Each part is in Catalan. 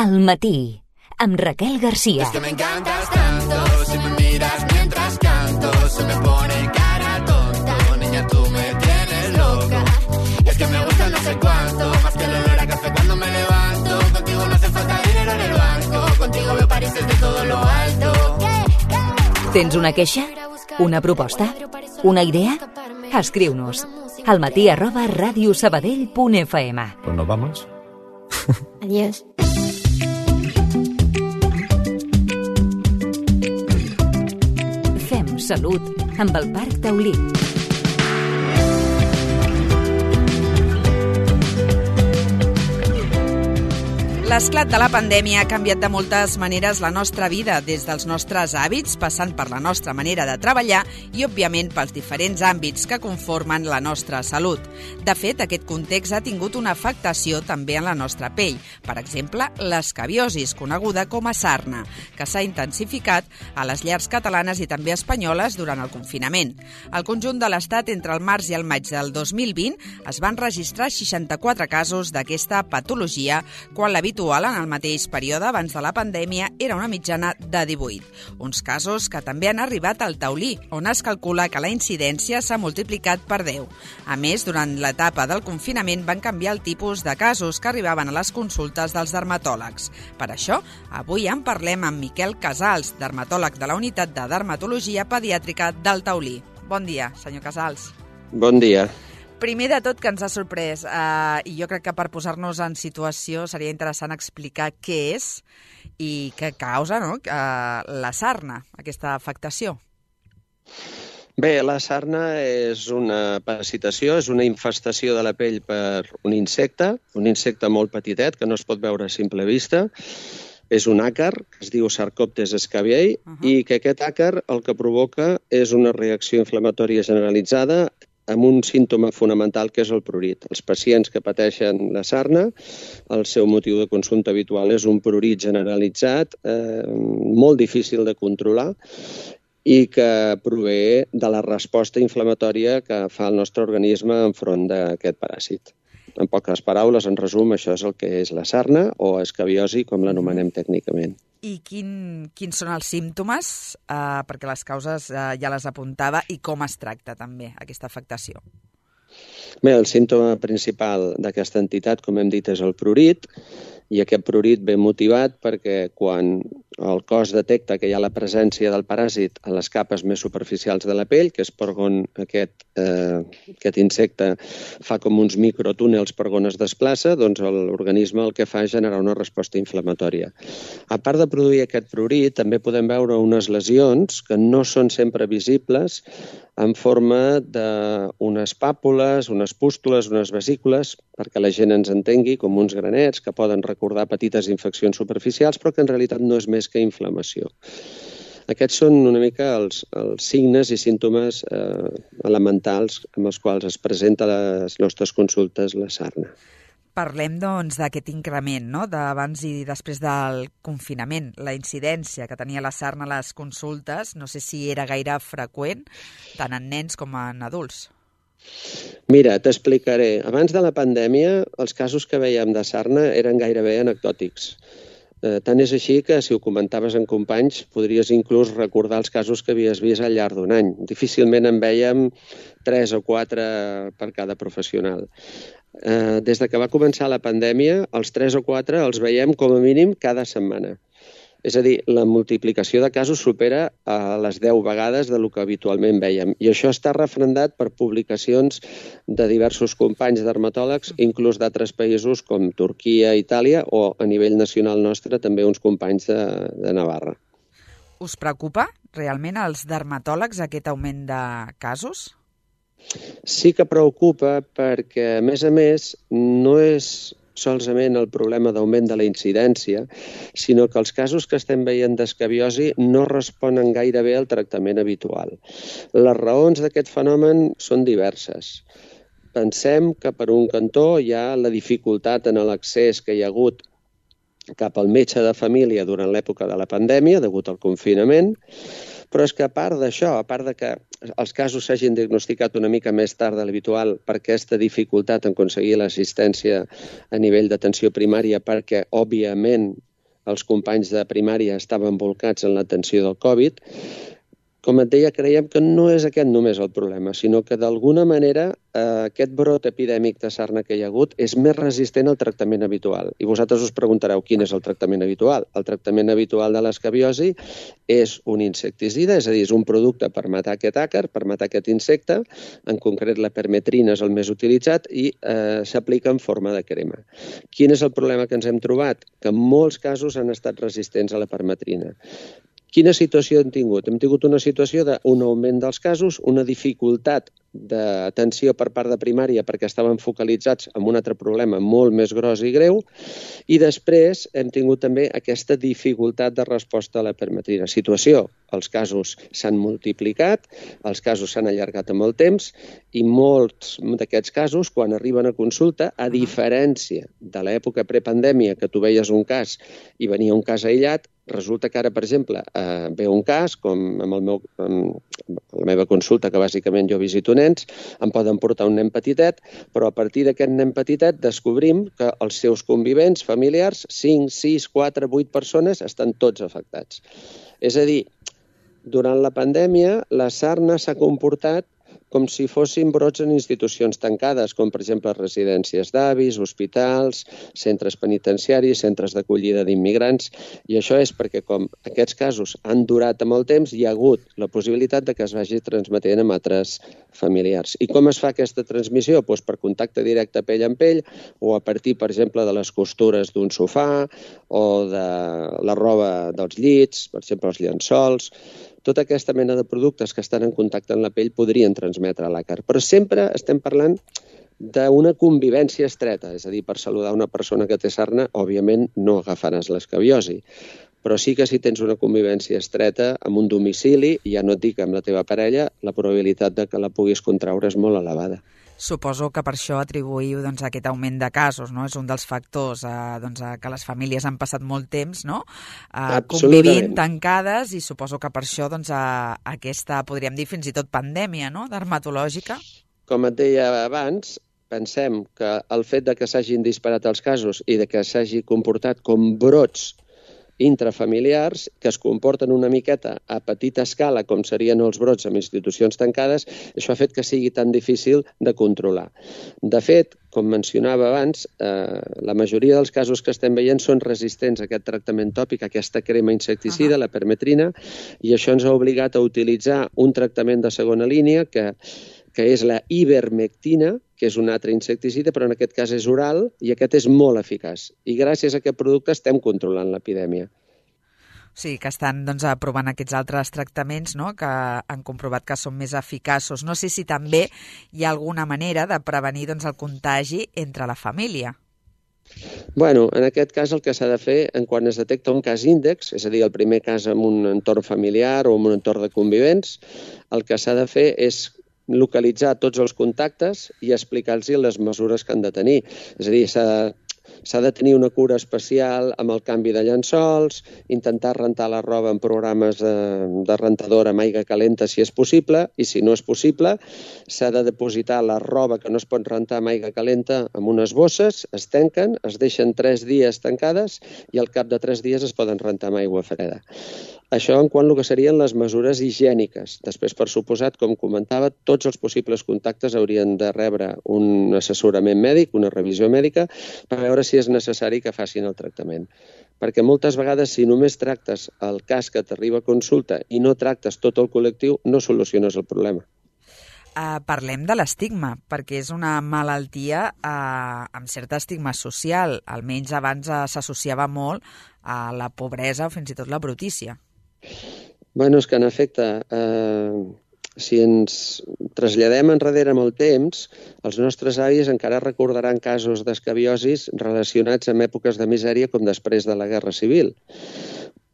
Al matí, amb Raquel García. Es que me encantas tanto, si me miras mientras canto, se me pone cara tonta, niña tú me tienes loca. Y es que me gusta no sé cuánto, más que el olor a café cuando me levanto. Contigo no hace falta dinero en el banco, contigo veo París desde todo lo alto. Tens una queixa? Una proposta? Una idea? Escriu-nos almatí@radiosabadell.fm. Pues nos vamos. Adiós. Fem salut amb el Parc Taulí. L'esclat de la pandèmia ha canviat de moltes maneres la nostra vida, des dels nostres hàbits, passant per la nostra manera de treballar i, òbviament, pels diferents àmbits que conformen la nostra salut. De fet, aquest context ha tingut una afectació també en la nostra pell. Per exemple, l'escabiosis, coneguda com a sarna, que s'ha intensificat a les llars catalanes i també espanyoles durant el confinament. Al conjunt de l'Estat, entre el març i el maig del 2020, es van registrar 64 casos d'aquesta patologia, quan l'habitual en el mateix període abans de la pandèmia era una mitjana de 18. Uns casos que també han arribat al Taulí, on es calcula que la incidència s'ha multiplicat per 10. A més, durant l'etapa del confinament van canviar el tipus de casos que arribaven a les consultes dels dermatòlegs. Per això, avui en parlem amb Miquel Casals, dermatòleg de la Unitat de Dermatologia Pediàtrica del Taulí. Bon dia, senyor Casals. Bon dia. Primer de tot, que ens ha sorprès, i jo crec que per posar-nos en situació seria interessant explicar què és i què causa, no?, la sarna, aquesta afectació. Bé, la sarna és una parasitació, és una infestació de la pell per un insecte molt petitet que no es pot veure a simple vista. És un àcar, que es diu Sarcoptes scabiei, i que aquest àcar el que provoca és una reacció inflamatòria generalitzada amb un símptoma fonamental que és el prurit. Els pacients que pateixen la sarna, el seu motiu de consulta habitual és un prurit generalitzat, molt difícil de controlar i que prové de la resposta inflamatòria que fa el nostre organisme enfront d'aquest paràsit. En poques paraules, en resum, això és el que és la sarna o escabiosi, com l'anomenem tècnicament. I quins són els símptomes? Perquè les causes ja les apuntava, i com es tracta també aquesta afectació? Bé, el símptoma principal d'aquesta entitat, com hem dit, és el prurit, i aquest prurit ve motivat perquè quan el cos detecta que hi ha la presència del paràsit a les capes més superficials de la pell, que és per on aquest insecte fa com uns microtúnels per on es desplaça, doncs l'organisme el que fa és generar una resposta inflamatòria. A part de produir aquest prurit, també podem veure unes lesions que no són sempre visibles en forma d'unes pàpules, unes pústules, unes vesícules, perquè la gent ens entengui, com uns granets que poden recordar petites infeccions superficials, però que en realitat no és més que inflamació. Aquests són una mica els signes i símptomes elementals amb els quals es presenta a les nostres consultes la sarna. Parlem, doncs, d'aquest increment, no?, d'abans i després del confinament, la incidència que tenia la sarna a les consultes. No sé si era gaire freqüent, tant en nens com en adults. Mira, t'explicaré. Abans de la pandèmia, els casos que veiem de sarna eren gairebé anecdòtics. Tant és així que, si ho comentaves amb companys, podries inclús recordar els casos que havies vist al llarg d'un any. Difícilment en vèiem 3 o 4 per cada professional. Des de que va començar la pandèmia, els 3 o 4 els veiem com a mínim cada setmana. És a dir, la multiplicació de casos supera a les 10 vegades del que habitualment vèiem. I això està refrendat per publicacions de diversos companys dermatòlegs, inclús d'altres països com Turquia, Itàlia, o a nivell nacional nostre també uns companys de Navarra. Us preocupa realment als dermatòlegs aquest augment de casos? Sí que preocupa perquè, a més, no és solament el problema d'augment de la incidència, sinó que els casos que estem veient d'escabiosi no responen gaire bé al tractament habitual. Les raons d'aquest fenomen són diverses. Pensem que per un cantó hi ha la dificultat en l'accés que hi ha hagut cap al metge de família durant l'època de la pandèmia, degut al confinament, però és que a part d'això, a part de que els casos s'hagin diagnosticat una mica més tard de l'habitual per aquesta dificultat en aconseguir l'assistència a nivell d'atenció primària, perquè, òbviament, els companys de primària estaven volcats en l'atenció del Covid. Com et deia, creiem que no és aquest només el problema, sinó que d'alguna manera aquest brot epidèmic de sarna que hi ha hagut és més resistent al tractament habitual. I vosaltres us preguntareu quin és el tractament habitual. El tractament habitual de l'escabiosi és un insecticida, és a dir, és un producte per matar aquest àcar, per matar aquest insecte, en concret la permetrina és el més utilitzat i s'aplica en forma de crema. Quin és el problema que ens hem trobat? Que en molts casos han estat resistents a la permetrina. Quina situació hem tingut? Hem tingut una situació d'un augment dels casos, una dificultat d'atenció per part de primària perquè estaven focalitzats en un altre problema molt més gros i greu, i després hem tingut també aquesta dificultat de resposta a la permetrina. Situació, els casos s'han multiplicat, els casos s'han allargat amb el temps, i molts d'aquests casos, quan arriben a consulta, a diferència de l'època prepandèmia, que tu veies un cas i venia un cas aïllat, resulta que ara, per exemple, ve un cas, com amb la meva consulta, que bàsicament jo visito nens, em poden portar un nen petitet, però a partir d'aquest nen petitet descobrim que els seus convivents familiars, 5, 6, 4, 8 persones, estan tots afectats. És a dir, durant la pandèmia, la sarna s'ha comportat com si fossin brots en institucions tancades, com per exemple residències d'avis, hospitals, centres penitenciaris, centres d'acollida d'immigrants, i això és perquè com aquests casos han durat amb el temps, hi ha hagut la possibilitat de que es vagi transmetent amb altres familiars. I com es fa aquesta transmissió? Doncs per contacte directe pell amb pell, o a partir, per exemple, de les costures d'un sofà, o de la roba dels llits, per exemple, els llençols. Tota aquesta mena de productes que estan en contacte amb la pell podrien transmetre l'àcar. Però sempre estem parlant d'una convivència estreta, és a dir, per saludar una persona que té sarna, òbviament no agafaràs l'escabiosi. Però sí que si tens una convivència estreta amb un domicili, i ja no et dic amb la teva parella, la probabilitat de que la puguis contraure és molt elevada. Suposo que per això atribuïu aquest augment de casos, no? És un dels factors que les famílies han passat molt temps convivint tancades, i suposo que per això aquesta, podríem dir, fins i tot pandèmia, no?, dermatològica. Com et deia abans, pensem que el fet de que s'hagin disparat els casos i de que s'hagi comportat com brots intrafamiliars que es comporten una miqueta a petita escala, com serien els brots en institucions tancades, això ha fet que sigui tan difícil de controlar. De fet, com mencionava abans, la majoria dels casos que estem veient són resistents a aquest tractament tòpic, a aquesta crema insecticida, la permetrina, i això ens ha obligat a utilitzar un tractament de segona línia que és la ivermectina, que és un altre insecticida, però en aquest cas és oral, i aquest és molt eficaç. I gràcies a aquest producte estem controlant l'epidèmia. O sigui, que estan provant aquests altres tractaments, no?, que han comprovat que són més eficaços. No sé si també hi ha alguna manera de prevenir el contagi entre la família. Bueno, en aquest cas el que s'ha de fer, quan es detecta un cas índex, és a dir, el primer cas en un entorn familiar o en un entorn de convivents, el que s'ha de fer és localitzar tots els contactes i explicar-los les mesures que han de tenir. És a dir, s'ha de tenir una cura especial amb el canvi de llençols, intentar rentar la roba en programes de rentadora amb aigua calenta si és possible, i si no és possible s'ha de depositar la roba que no es pot rentar amb aigua calenta en unes bosses, es tanquen, es deixen 3 dies tancades i al cap de 3 dies es poden rentar amb aigua freda. Això en quant al que serien les mesures higièniques. Després, per suposat, com comentava, tots els possibles contactes haurien de rebre un assessorament mèdic, una revisió mèdica, per veure si és necessari que facin el tractament. Perquè moltes vegades, si només tractes el cas que t'arriba a consulta i no tractes tot el col·lectiu, no soluciones el problema. Parlem de l'estigma, perquè és una malaltia amb cert estigma social. Almenys abans s'associava molt a la pobresa o fins i tot la brutícia. Bueno, és que en efecte, si ens traslladem enrere amb el temps, els nostres avis encara recordaran casos d'escabiosis relacionats amb èpoques de misèria com després de la Guerra Civil.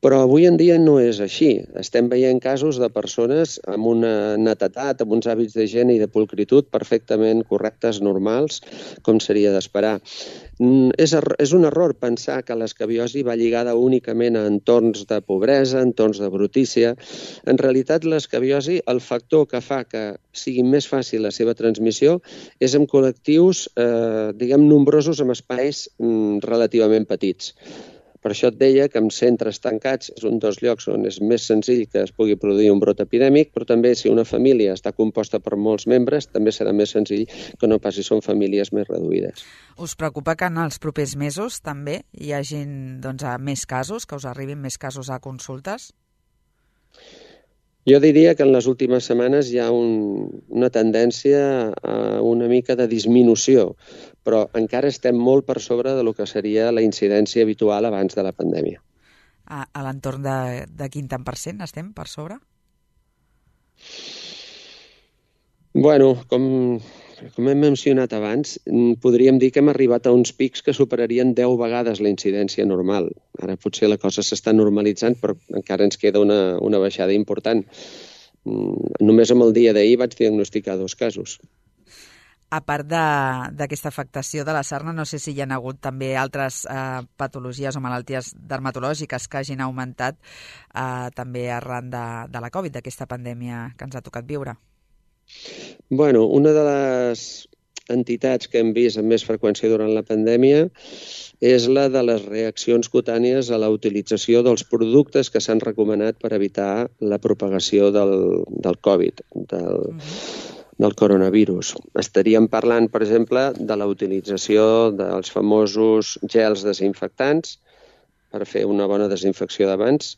Però avui en dia no és així. Estem veient casos de persones amb una netedat, amb uns hàbits d'higiene i de pulcritud perfectament correctes, normals, com seria d'esperar. És un error pensar que l'escabiosi va lligada únicament a entorns de pobresa, entorns de brutícia. En realitat, l'escabiosi, el factor que fa que sigui més fàcil la seva transmissió és en col·lectius, nombrosos, amb espais relativament petits. Per això et deia que en centres tancats és un dels llocs on és més senzill que es pugui produir un brot epidèmic, però també si una família està composta per molts membres, també serà més senzill que no pas si són famílies més reduïdes. Us preocupa que en els propers mesos també hi hagin més casos, que us arribin més casos a consultes? Jo diria que en les últimes setmanes hi ha una tendència a una mica de disminució, però encara estem molt per sobre de lo que seria la incidència habitual abans de la pandèmia. A l'entorn de quin tant % estem per sobre? Bueno, com hem mencionat abans, podríem dir que hem arribat a uns pics que superarien 10 vegades la incidència normal. Ara potser la cosa s'està normalitzant, però encara ens queda una baixada important. Només amb el dia d'ahir vaig diagnosticar 2 casos. A part d'aquesta afectació de la sarna, no sé si hi ha hagut també altres patologies o malalties dermatològiques que hagin augmentat també arran de la Covid, d'aquesta pandèmia que ens ha tocat viure. Bueno, una de les entitats que hem vist amb més freqüència durant la pandèmia és la de les reaccions cutànies a la utilització dels productes que s'han recomanat per evitar la propagació del Covid, del coronavirus. Estaríem parlant, per exemple, de la utilització dels famosos gels desinfectants per fer una bona desinfecció d'abans.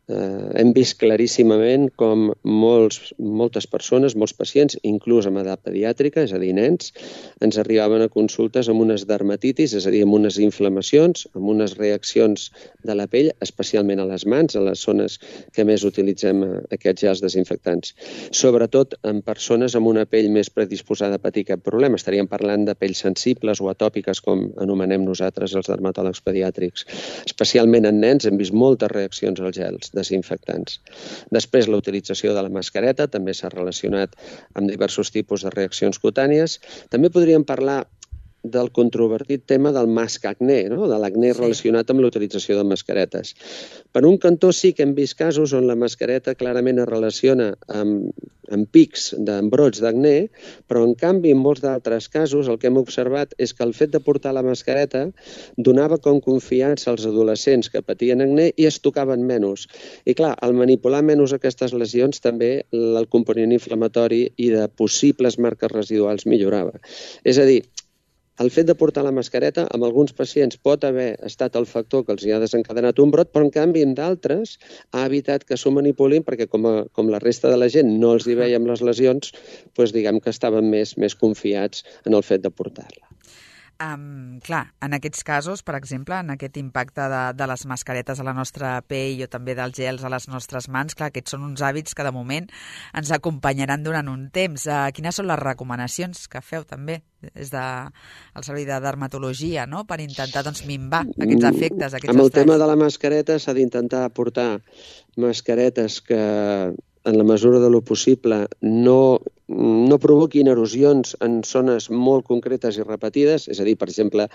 Hem vist claríssimament com moltes persones, molts pacients, inclús amb edat pediàtrica, és a dir, nens, ens arribaven a consultes amb unes dermatitis, és a dir, amb unes inflamacions, amb unes reaccions de la pell, especialment a les mans, a les zones que més utilitzem aquests gels desinfectants. Sobretot en persones amb una pell més predisposada a patir cap problema. Estaríem parlant de pells sensibles o atòpiques, com anomenem nosaltres els dermatòlegs pediàtrics. Especialment en nens hem vist moltes reaccions als gels desinfectants. Després, la utilització de la mascareta també s'ha relacionat amb diversos tipus de reaccions cutànies. També podríem parlar del controvertit tema del mascacné, no? De l'acné relacionat amb l'utilització de mascaretes. Per un cantó sí que hem vist casos on la mascareta clarament es relaciona amb pics d'embrots d'acné, però en canvi en molts d'altres casos el que hem observat és que el fet de portar la mascareta donava com confiança als adolescents que patien acné i es tocaven menys. I clar, al manipular menys aquestes lesions també el component inflamatori i de possibles marques residuals millorava. És a dir, el fet de portar la mascareta, amb alguns pacients pot haver estat el factor que els hi ha desencadenat un brot, però en canvi amb d'altres ha evitat que s'ho manipulin perquè com la resta de la gent no els hi veiem les lesions, doncs diguem que estaven més confiats en el fet de portar-la. Clar, en aquests casos, per exemple, en aquest impacte de les mascaretes a la nostra pell o també dels gels a les nostres mans, clar, aquests són uns hàbits que de moment ens acompanyaran durant un temps. Quines són les recomanacions que feu també des del Servei de Dermatologia, no?, per intentar minvar aquests efectes, aquests estralls? Amb el tema de la mascareta s'ha d'intentar portar mascaretes que en la mesura de lo possible no provoquin erosions en zones molt concretes i repetides, és a dir, per exemple,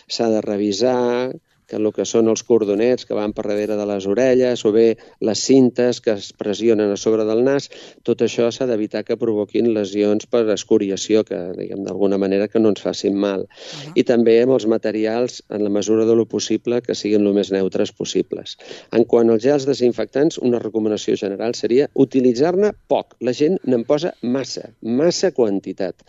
s'ha de revisar que el que són els cordonets que van per darrere de les orelles o bé les cintes que es pressionen a sobre del nas, tot això s'ha d'evitar que provoquin lesions per escoriació, que diguem d'alguna manera que no ens facin mal. I també amb els materials, en la mesura de lo possible, que siguin el més neutres possibles. En quant als gels desinfectants, una recomanació general seria utilitzar-ne poc. La gent n'en posa massa quantitat.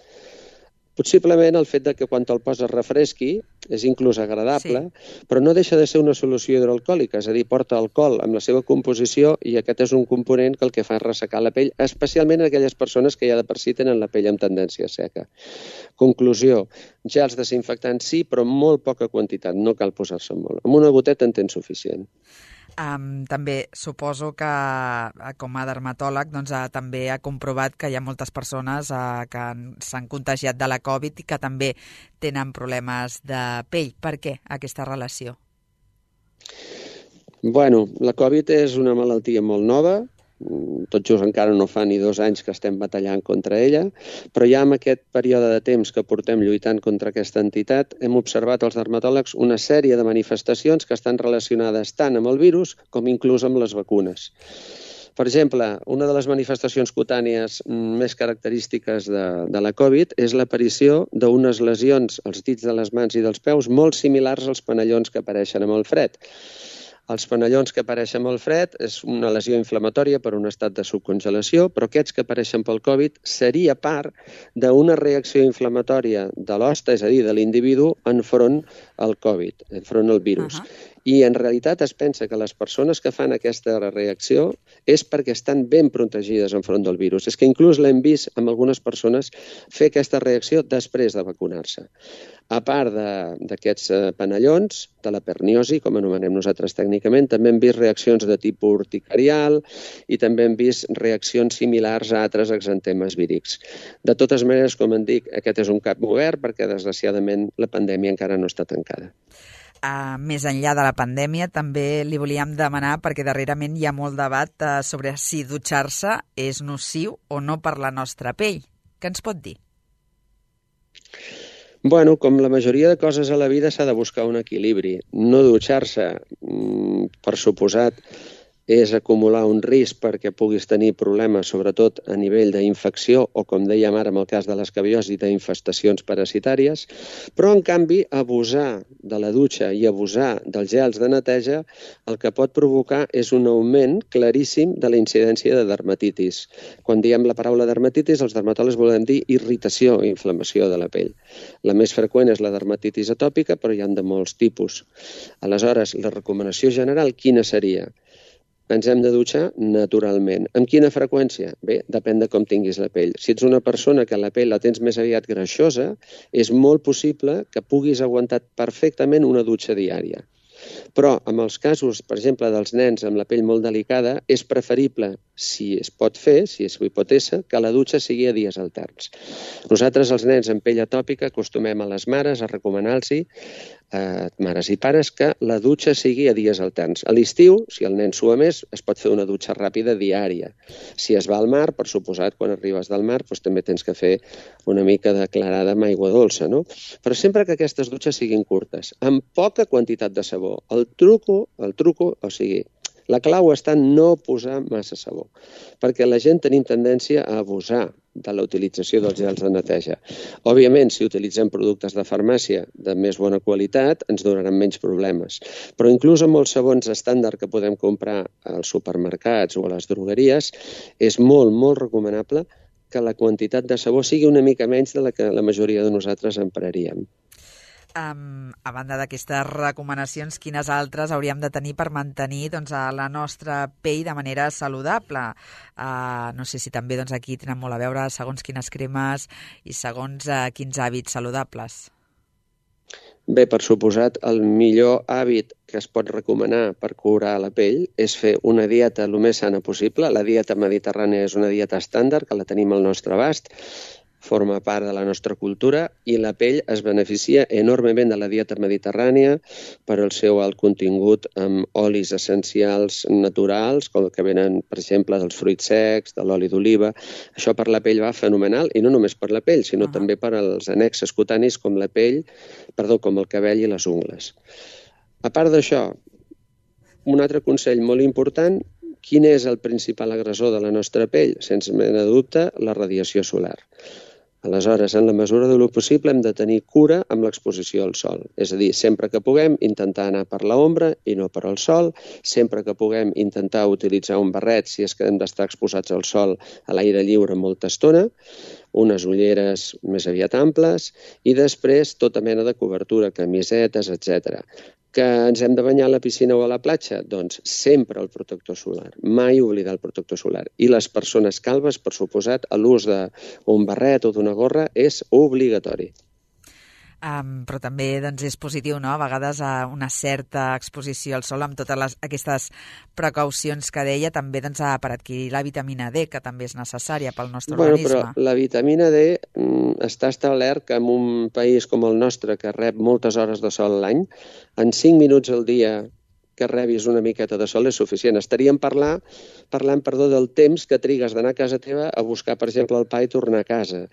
Possiblement el fet de que quan te'l poses refresqui és inclús agradable, però no deixa de ser una solució hidroalcohòlica, és a dir, porta alcohol amb la seva composició i aquest és un component que el que fa és ressecar la pell, especialment en aquelles persones que ja de per si tenen la pell amb tendència seca. Conclusió, gels desinfectants sí, però molt poca quantitat, no cal posar-se molt. Amb una goteta en tens suficient. També suposo que com a dermatòleg també ha comprovat que hi ha moltes persones que s'han contagiat de la Covid i que també tenen problemes de pell. Per què aquesta relació? Bueno, la Covid és una malaltia molt nova, tot just encara no fa ni 2 anys que estem batallant contra ella, però ja en aquest període de temps que portem lluitant contra aquesta entitat hem observat als dermatòlegs una sèrie de manifestacions que estan relacionades tant amb el virus com inclús amb les vacunes. Per exemple, una de les manifestacions cutànies més característiques de la Covid és l'aparició d'unes lesions als dits de les mans i dels peus molt similars als panellons que apareixen amb el fred. Els panellons que apareixen amb el fred és una lesió inflamatòria per un estat de subcongelació, però aquests que apareixen pel Covid seria part d'una reacció inflamatòria de l'hoste, és a dir, de l'individu, enfront al Covid, enfront al virus. I en realitat es pensa que les persones que fan aquesta reacció és perquè estan ben protegides enfront del virus. És que inclús l'hem vist amb algunes persones fer aquesta reacció després de vacunar-se. A part d'aquests panellons, de la perniosi, com anomenem nosaltres tècnicament, també hem vist reaccions de tipus urticarial i també hem vist reaccions similars a altres exantemes vírics. De totes maneres, com en dic, aquest és un cap obert perquè, desgraciadament, la pandèmia encara no està tancada. Més enllà de la pandèmia, també li volíem demanar, perquè darrerament hi ha molt debat sobre si dutxar-se és nociu o no per la nostra pell. Què ens pot dir? Bueno, com la majoria de coses a la vida s'ha de buscar un equilibri. No dutxar-se, per suposat, és acumular un risc perquè puguis tenir problemes, sobretot a nivell d'infecció o, com dèiem ara, en el cas de l'escabiosi, d'infestacions parasitàries, però, en canvi, abusar de la dutxa i abusar dels gels de neteja el que pot provocar és un augment claríssim de la incidència de dermatitis. Quan diem la paraula dermatitis, els dermatòlegs volem dir irritació i inflamació de la pell. La més freqüent és la dermatitis atòpica, però hi ha de molts tipus. Aleshores, la recomanació general quina seria? Ens hem de dutxar naturalment. Amb quina freqüència? Bé, depèn de com tinguis la pell. Si ets una persona que la pell la tens més aviat greixosa, és molt possible que puguis aguantar perfectament una dutxa diària. Però, en els casos, per exemple, dels nens amb la pell molt delicada, és preferible, si es pot fer, si es pot ésser, que la dutxa sigui a dies alterns. Nosaltres, els nens amb pell atòpica, acostumem a les mares a recomanar-los, mares i pares, que la dutxa sigui a dies alterns. A l'estiu, si el nen sua més, es pot fer una dutxa ràpida diària. Si es va al mar, per suposat, quan arribes del mar, doncs també tens que fer una mica declarada amb aigua dolça, no? Però sempre que aquestes dutxes siguin curtes, amb poca quantitat de sabó. El truco, o sigui, la clau està en no posar massa sabó, perquè la gent tenim tendència a abusar de la utilització dels gels de neteja. Òbviament, si utilitzem productes de farmàcia de més bona qualitat, ens donaran menys problemes. Però inclús amb els sabons estàndard que podem comprar als supermercats o a les drogueries, és molt, molt recomanable que la quantitat de sabó sigui una mica menys de la que la majoria de nosaltres empraríem. A banda d'aquestes recomanacions, quines altres hauríem de tenir per mantenir la nostra pell de manera saludable? No sé si també aquí tenen molt a veure segons quines cremes i segons quins hàbits saludables. Bé, per suposat, el millor hàbit que es pot recomanar per curar la pell és fer una dieta el més sana possible. La dieta mediterrània és una dieta estàndard, que la tenim al nostre abast, forma part de la nostra cultura i la pell es beneficia enormement de la dieta mediterrània per al seu alt contingut amb olis essencials naturals, com que venen, per exemple, dels fruits secs, de l'oli d'oliva. Això per la pell va fenomenal, i no només per la pell, sinó també per als annexes cutanis com com el cabell i les ungles. A part d'això, un altre consell molt important: quin és el principal agressor de la nostra pell? Sense mena de dubte, la radiació solar. Aleshores, en la mesura del possible, hem de tenir cura amb l'exposició al sol. És a dir, sempre que puguem, intentar anar per l'ombra i no per al sol. Sempre que puguem, intentar utilitzar un barret si és que hem d'estar exposats al sol a l'aire lliure molta estona, unes ulleres més aviat amples i després tota mena de cobertura, camisetes, etc. Que ens hem de banyar a la piscina o a la platja? Doncs sempre el protector solar. Mai oblidar el protector solar. I les persones calbes, per suposat, l'ús d'un barret o d'una gorra és obligatori. Però també és positiu, no?, a vegades una certa exposició al sol amb totes aquestes precaucions que deia, també per adquirir la vitamina D, que també és necessària pel nostre organisme. Però la vitamina D està establert que en un país com el nostre, que rep moltes hores de sol a l'any, en 5 minuts al dia que rebis una miqueta de sol és suficient. Estaríem parlant del temps que trigues d'anar a casa teva a buscar, per exemple, el pa i tornar a casa.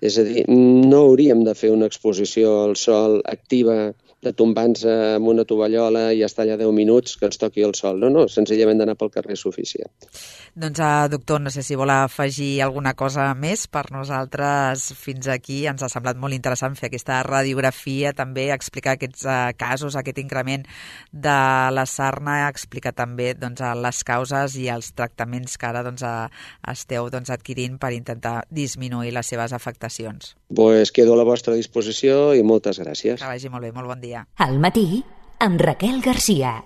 És a dir, no hauríem de fer una exposició al sol activa de tombar-nos amb una tovallola i estar allà 10 minuts que ens toqui el sol. No, senzillament d'anar pel carrer és suficient. Doncs, doctor, no sé si vol afegir alguna cosa més per nosaltres fins aquí. Ens ha semblat molt interessant fer aquesta radiografia, també explicar aquests casos, aquest increment de la sarna, explicar també les causes i els tractaments que ara esteu adquirint per intentar disminuir les seves afectacions. Pues quedo a la vostra disposició i moltes gràcies. Que vagi molt bé, molt bon dia. Al matí, amb Raquel Garcia.